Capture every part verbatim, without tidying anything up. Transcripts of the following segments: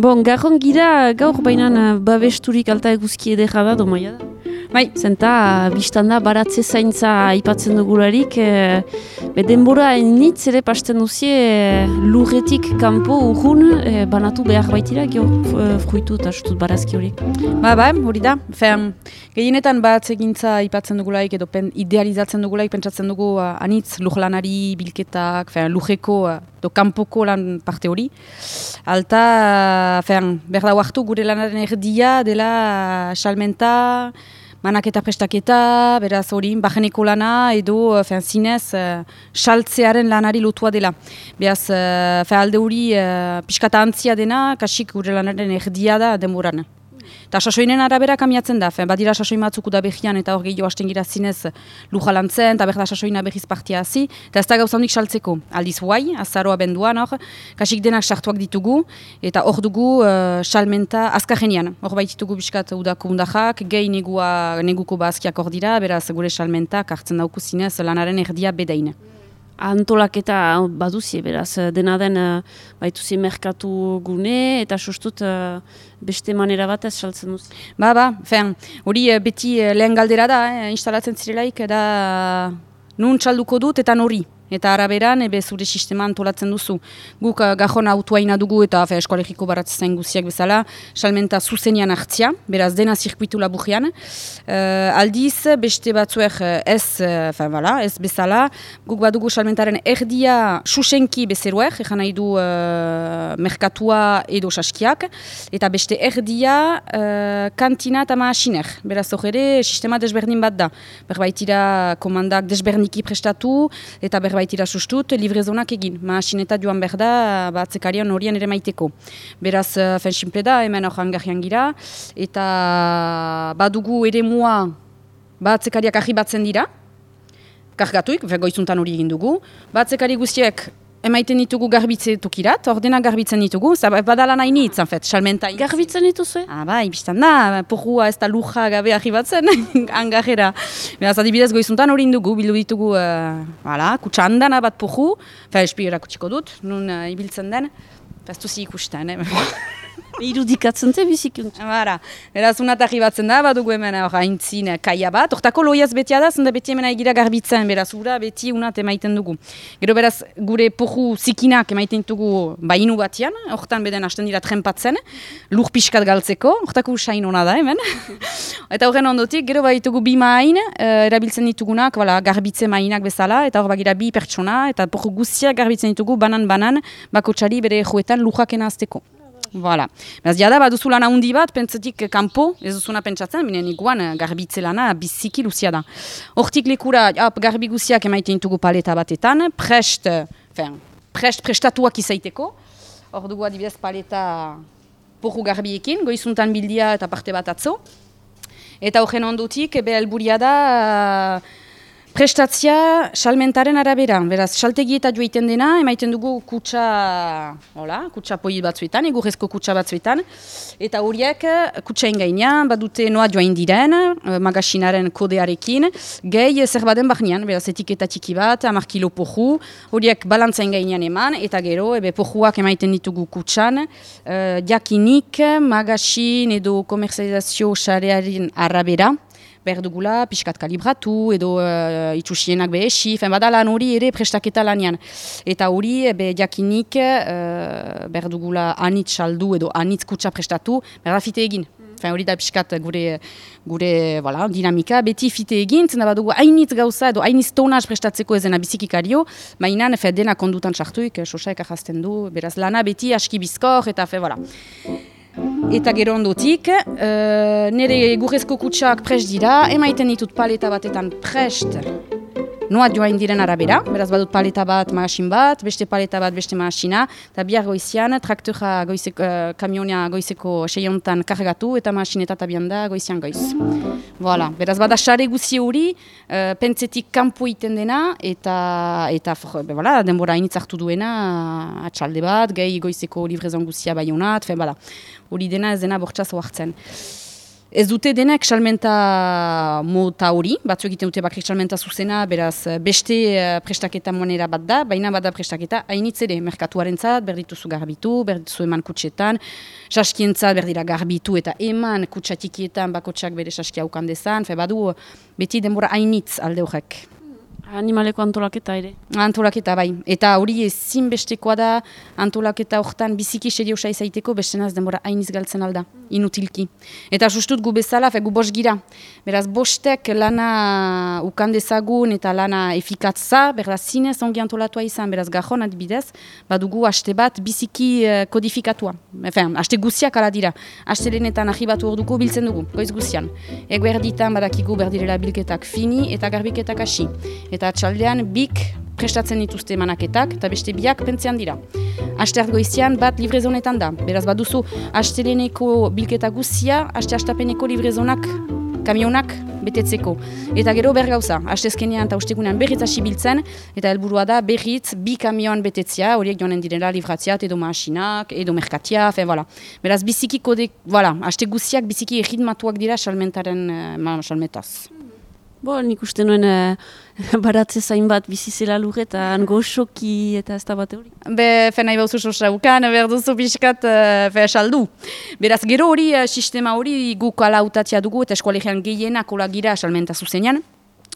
Bon, garron gira gaur bainan babesturik alta eguzki edera da, domaia da. Bai, zenta, biztanda baratze zaintza aipatzen dugularik, e, be denbora enitz ere pasten duzie e, lurretik kanpo urrun e, banatu behar baitira, gio fruitu eta sutut barazki horiek. Ba, ba, hori da. Fean, gehienetan baratze gintza aipatzen dugulaik edo pen, idealizatzen dugulaik, pentsatzen dugu uh, anitz lurlanari, bilketak, fean, lurreko uh, do kanpoko lan parte hori. Alta, uh, fean, berda huartu gure lanaren erdia dela uh, salmenta, manaketa prestaketa, beraz hori, bajeneko lana edo fean, zinez saltzearen uh, lanari lotua dela. Beraz, uh, fean, alde hori uh, piskata antzia dena, kasik gure lanaren erdia da denboran. Eta sasoinen arabera kamiatzen da, fean, badira sasoin batzuk da behian eta hor gehiago hasten gira zinez lujalantzen, eta berda sasoina behiz partia hazi, eta ez da gauzandik saltzeko. Aldiz huai, azaroa benduan hor, kasik denak sartuak ditugu, eta hor dugu uh, salmenta azkarrenian. Hor baititugu biskat udako undajak, gehi negua, neguko bazkiak hor dira, beraz gure salmentak hartzen dauku zinez lanaren erdia bedain. Antolaketa baduzie, beraz, dena den baituzi merkatu gune eta sustut beste manera batez saltzen duz. Ba, ba, fean, hori beti lehen galdera da, eh, instalatzen zirelaik, da nun txalduko dut eta nori. Eta araberan, ebe zure sistema antolatzen duzu. Guk uh, gajon autoaina dugu eta eskolegiko baratzen zain guziak bezala, salmenta zuzenian hartzia, beraz dena zirkuitu laburrian. Uh, aldiz, beste batzuek ez, uh, voilà, ez bezala, guk badugu salmentaren erdia susenki bezeruek, egan nahi du uh, merkatua edo saskiak, eta beste erdia uh, kantina eta maasiner. Beraz hor ere, sistema desberdin bat da. Berbaitira komandak desberdiniki prestatu, eta berbaitira baitira sustut, livrezonak egin. Maasineta joan behar da, batzekarian horien ere maiteko. Beraz, fen simple da, hemen hor hangarrian gira, eta badugu ere mua batzekariak ahi batzen dira, kargatuik, goizuntan hori egin dugu. Batzekari guztiek emaiten ditugu garbitze tokirat, ordena garbitzen ditugu, badala nahi nitz, en fet, salmenta. Garbitzen dituzue? Ah, bai, biztan da, porrua ez da luja gabe arribatzen, angarrera. Beraz, adibidez goizuntan hori indugu, bildu ditugu, uh, voilà, kutsa handana bat porru, fe, espigera kutsiko dut, nun uh, ibiltzen den, festuzi ikusten, eh? Irudikatzen te bizikunt. Bara, beraz, unat arribatzen da, badugu hemen haintzin kaia bat. Hortako loiaz betia da, zenda beti hemen egira garbitzen, beraz, ura beti unat emaiten dugu. Gero beraz, gure porru zikinak emaiten dugu bainu batian, hortan beden hasten dira trempatzen, lur pixkat galtzeko, hortako usain hona da hemen. Eta horren ondotik, gero baitugu bi main, uh, erabiltzen ditugunak, voilà, garbitze mainak bezala, eta hor bagira bi pertsona, eta porru guztiak garbitzen ditugu banan-banan, bako txari bere joetan lujak azteko. Voilà. Beraz, jada, baduzu lana hundi bat, pentsatik kanpo, ez duzuna pentsatzen, binen iguan garbitze lana biziki luzia da. Hortik lekura, ap, garbi guziak emaiten dugu paleta batetan, prest, fen, prest prestatuak izaiteko. Hor dugu adibidez paleta porru garbiekin, goizuntan bildia eta parte bat atzo. Eta horren ondutik, ebe helburia da, prestatzia salmentaren arabera. Beraz, saltegi eta joiten dena, emaiten dugu kutsa, hola, kutsa poit batzuetan, egurrezko kutsa batzuetan. Eta horiek kutsain gainean, badute noa joain diren, magasinaren kodearekin, gehi zer baden bahnean, beraz, etiketa txiki bat, hamar kilo porru, horiek balantzain gainean eman, eta gero, ebe porruak emaiten ditugu kutsan, uh, jakinik, magasin edo komerzializazio sarearen arabera, behar dugula, pixkat kalibratu, edo uh, itxusienak behesi, fen badalan hori ere prestaketa lanian. Eta hori, be jakinik, uh, behar dugula anitz saldu edo anitz kutsa prestatu, behar da fite egin. Fen hori da pixkat gure, gure voilà, dinamika, beti fite egin, zena badugu hainitz gauza edo hainitz tonaz prestatzeko ezena bizikikario, mainan, fe dena kondutan sartuik, sosaek ahazten du, beraz lana beti aski bizkor, eta fe, voilà. Eta gero ondotik, uh, nire egurrezko kutsak prest dira, emaiten ditut paleta batetan prest noa joain diren arabera, beraz badut paleta bat, magasin bat, beste paleta bat, beste magasina, eta bihar goizian, traktora goizeko, uh, kamionia goizeko seiontan kargatu, eta magasineta tabian da goizian goiz. Voilà. Beraz bada xare guzi hori, uh, pentsetik kanpo iten dena, eta, eta be, voilà, denbora hainitz hartu duena, atxalde bat, gehi goizeko livrezon guzia bai honat, fe, bada. Hori dena ez dena bortxaz oartzen. Ez dute denek salmenta mota hori, batzu egiten dute bakrik salmenta zuzena, beraz beste uh, prestaketa monera bat da, baina bada prestaketa hainitz ere, merkatuaren zat, berdituzu garbitu, berdituzu eman kutsetan, saskien zat berdira garbitu eta eman kutsatikietan bakotsak bere saskia ukan dezan, fe badu beti denbora hainitz alde horrek. Animaleko antolaketa ere. Antolaketa bai. Eta hori ezin bestekoa da antolaketa horretan biziki seriosa izaiteko bestenaz denbora hainiz galtzen alda, inutilki. Eta sustut gu bezala, fe gu bost gira. Beraz bostek lana ukandezagun eta lana efikatza, beraz zinez ongi antolatua izan, beraz gajon adibidez, badugu haste bat biziki uh, kodifikatua. Efen, haste guziak ala dira. Haste lehenetan ahibatu hor dugu biltzen dugu, goiz guzian. Ego erditan badakigu berdirela bilketak fini eta garbiketak hasi. Eta atxaldean bik prestatzen dituzte manaketak eta beste biak pentzean dira. Asteart goizian bat livrezonetan da. Beraz baduzu asteleneko bilketa guzia, aste astapeneko livrezonak, kamionak betetzeko. Eta gero bergauza, astezkenean eta ustegunean berriz hasi biltzen, eta helburua da berriz bi kamioan betetzea, horiek joanen direla livratziat edo maasinak, edo merkatia, fe, voilà. Beraz biziki kode, voilà, aste guziak biziki egitmatuak dira salmentaren uh, salmetaz. Bo, nik uste nuen uh, baratze zain bat bizizela lurretan, goxoki eta ez da bate hori. Be, fe nahi bauzu sosaukan, behar duzu pixkat uh, fe saldu. Beraz, gero hori, uh, sistema hori guk ala utatzea dugu eta eskualegian gehienak hola gira salmenta zuzenean.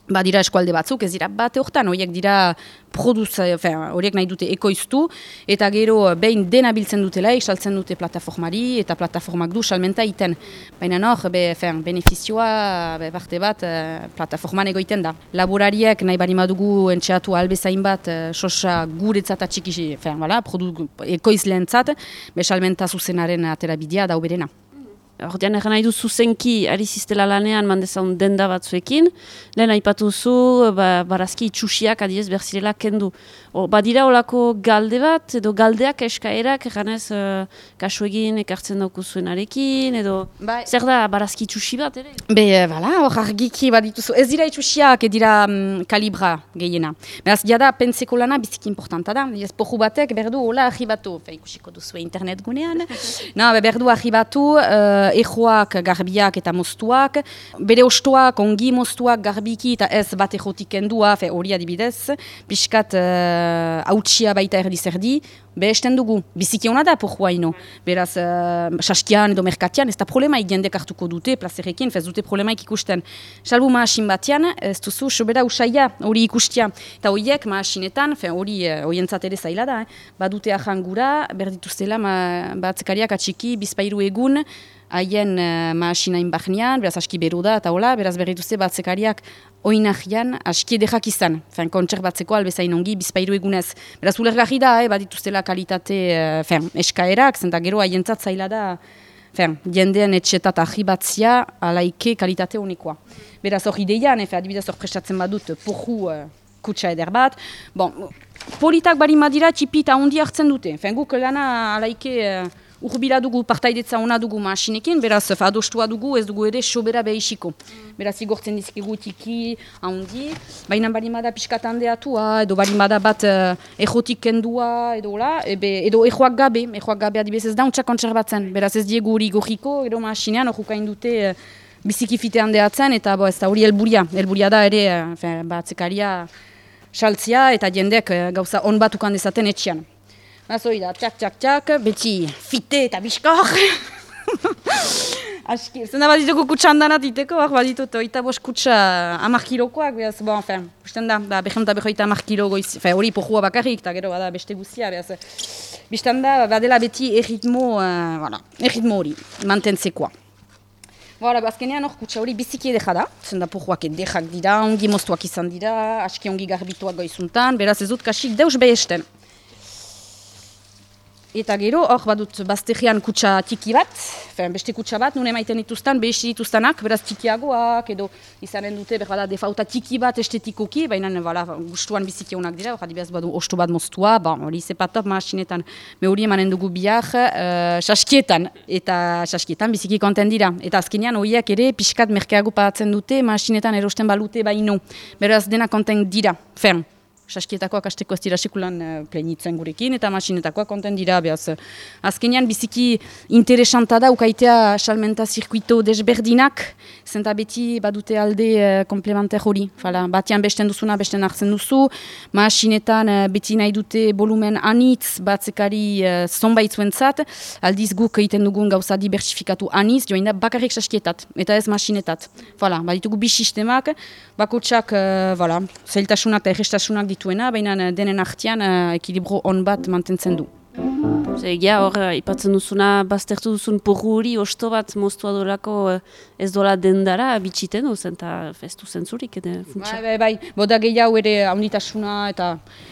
Ba dira eskualde batzuk, ez dira bate hortan, horiek dira produz, horiek nahi dute ekoiztu, eta gero behin dena biltzen dutela, saltzen dute plataformari, eta plataformak du salmenta iten. Baina nor, be, benefizioa, be, barte bat, plataforman egoiten da. Laborariek nahi bari madugu entxeatu albezain bat, sosa guretzat atxiki, voilà, ekoizleentzat, be salmenta zuzenaren aterabidea dauberena. Ordean egan nahi du zuzenki ari ziztela lanean mandezaun denda batzuekin, lehen aipatu zu, ba, barazki itxusiak adiez berzirela kendu. O, badira olako galde bat, edo galdeak eskaerak, eganez uh, kasu egin ekartzen dauku zuenarekin, edo ba, zer da barazki itxusi bat, ere? Be, bala, hor argiki badituzu. Ez dira itxusiak, ez dira um, kalibra gehiena. Beraz, jada pentseko lana biziki importanta da. Ez poju batek berdu hola ahibatu, fe ikusiko duzu internet gunean. No, be, berdu ahibatu, uh, ejoak, garbiak eta moztuak, bere ostoak, ongi moztuak, garbiki eta ez bat ejotik kendua, hori adibidez, pixkat uh, hautsia baita erdi zerdi, be esten dugu, biziki hona da pojua ino. Beraz, uh, saskian edo merkatian, ez da problemaik jendek hartuko dute, plazerekin, ez dute problemaik ikusten. Salbu maasin batean, ez duzu, sobera usaia, hori ikustia. Eta horiek maasinetan, hori horientzat ere zaila da, eh? Badute ahangura, berdituztela, batzekariak atxiki, bizpairu egun, haien uh, maasinain bahnean, beraz aski beru da, eta hola, beraz berrituzte batzekariak oinahian aski edekak izan. Fen, kontser batzeko albezain ongi, bizpairu egunez. Beraz ulergarri da, eh, badituztela kalitate uh, fen, eskaerak, zenta gero haientzat zaila da, fen, jendean etxetat ahibatzia alaike kalitate honikoa. Beraz hor ideian, efe, adibidez hor prestatzen badut, poju uh, kutsa eder bat. Bon, politak bari madira txipi eta ondi hartzen dute. Fen, guk lana alaike... Uh, Urbila dugu, partaidetza ona dugu maasinekin, beraz adostua dugu, ez dugu ere sobera behisiko. Beraz igortzen dizkigu tiki, handi, baina barimada pixkat handeatua, edo barimada bat uh, ejotik kendua, edo la, ebe, edo ejoak gabe, ejoak gabe adibidez ez da untsa kontserbatzen. Beraz ez diegu hori gorriko, edo maasinean horukain dute uh, biziki fite handeatzen, eta bo, ez da hori helburia. Helburia da ere, uh, batzekaria saltzia, eta jendek uh, gauza on bat ukan dezaten etxean. Nazoi da, txak, txak, txak, beti fite eta biskor. Aski, zena bat dituko kutsandanat diteko, bat ditut, oita bost kutsa hamar kilokoak, behaz, bon, fen, usten da, da, behemta behoita hamar kilo goiz, fe, hori pohua bakarrik, eta gero, bada, beste guzia, behaz, biztan da, badela beti erritmo, uh, voilà, erritmo hori, mantentzekoa. Voilà, azkenean hor kutsa hori biziki edeka da, zenda pohuak edekak dira, ongi moztuak izan dira, aski ongi garbituak goizuntan, beraz ez dut kasik deus behesten. Eta gero, hor badut bazterian kutsa tiki bat, fen, beste kutsa bat, nune maiten dituztan, behesi dituztanak, beraz tikiagoak, edo izanen dute, berbada, defauta tiki bat estetikoki, baina, bala, gustuan biziki honak dira, hor adibaz badu osto bat moztua, bon, hori sepatop maasinetan, me hori emanen dugu biak, uh, saskietan, eta saskietan biziki konten dira. Eta azkenean, horiek ere, pixkat merkeago paratzen dute, maasinetan erosten balute baino, beraz dena konten dira, fen. saskietakoak asteko ez dira sekulan uh, plenitzen gurekin, eta masinetakoak konten dira, behaz. Azkenean biziki interesanta da, ukaitea salmenta zirkuito desberdinak, zenta beti badute alde uh, komplementer hori. Fala, batean besten duzuna, besten hartzen duzu, masinetan uh, beti nahi dute volumen anitz, batzekari uh, zonbait zuentzat, aldiz guk egiten dugun gauza diversifikatu anitz, joan da bakarrik saskietat, eta ez masinetat. Fala, baditugu bi sistemak, bakotsak, uh, voilà, zailtasunak eta errestasunak dituena, baina denen artean uh, ekilibro on bat mantentzen du. Egia hor, ipatzen duzuna, baztertu duzun porru hori, osto bat moztua dolako ez dola dendara bitxiten duzen, eta festu zentzurik, edo funtsa. Bai, bai, bai, boda gehiago ere haunditasuna, eta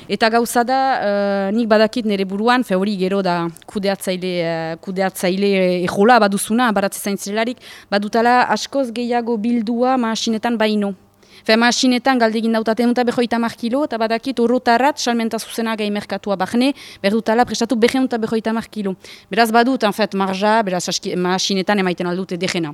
eta gauza da, uh, nik badakit nire buruan, fe hori gero da kudeatzaile, uh, kudeatzaile ejola baduzuna, baratze zaintzelarik, badutala askoz gehiago bildua masinetan baino. Fe masinetan galdegin dautaten eta behoita hamar kilo, eta badakit horrotarrat salmenta zuzena gai merkatua bahne, berdutala prestatu behen eta behoita hamar kilo. Beraz badut, en fet, marja, beraz masinetan emaiten aldute degena.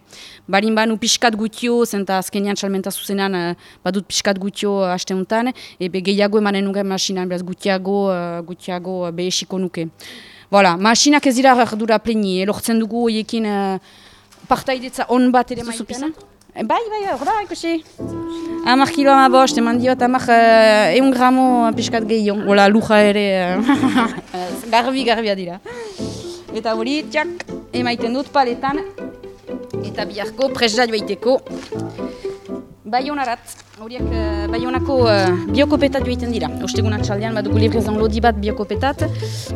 Barin banu piskat gutio, zenta azkenean salmenta zuzenan uh, badut piskat gutio haste honetan, ebe gehiago emanen nuke masinan, beraz gutiago, uh, gutiago uh, behesiko nuke. Voilà, masinak ez dira ardura pleni, elortzen dugu hoiekin uh, partaidetza on bat ere maiten. Bai, bai, hor da, ikusi. Hamar kilo ama bost, eman diot, hamar uh, eun gramo piskat gehiago. Ola, luja ere, uh, garbi, garbia dira. Eta hori, txak, emaiten dut paletan. Eta biharko, presda joaiteko. Baionarat, horiek uh, Baionako uh, biokopetat joiten dira. Ostegun atxaldean badugu librezan lodi bat biokopetat,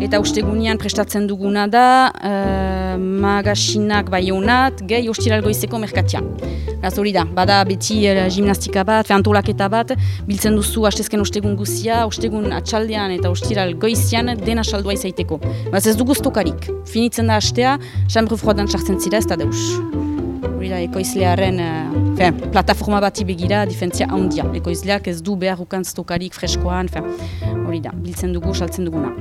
eta ostegunean prestatzen duguna da uh, magasinak Baionat, gehi ostiral goizeko merkatian. Gaz hori da, bada beti uh, gimnastika bat, antolaketa bat, biltzen duzu hastezken ostegun guzia, ostegun atxaldean eta ostiral goizian dena saldua izaiteko. Baz ez dugu stokarik, finitzen da hastea, chambre froidan sartzen zira ez da deus. Hori da, ekoizlearen uh, plataforma bati begira, difentzia handia. Ekoizleak ez du behar ukan stokarik freskoan, hori da, biltzen dugu, saltzen duguna.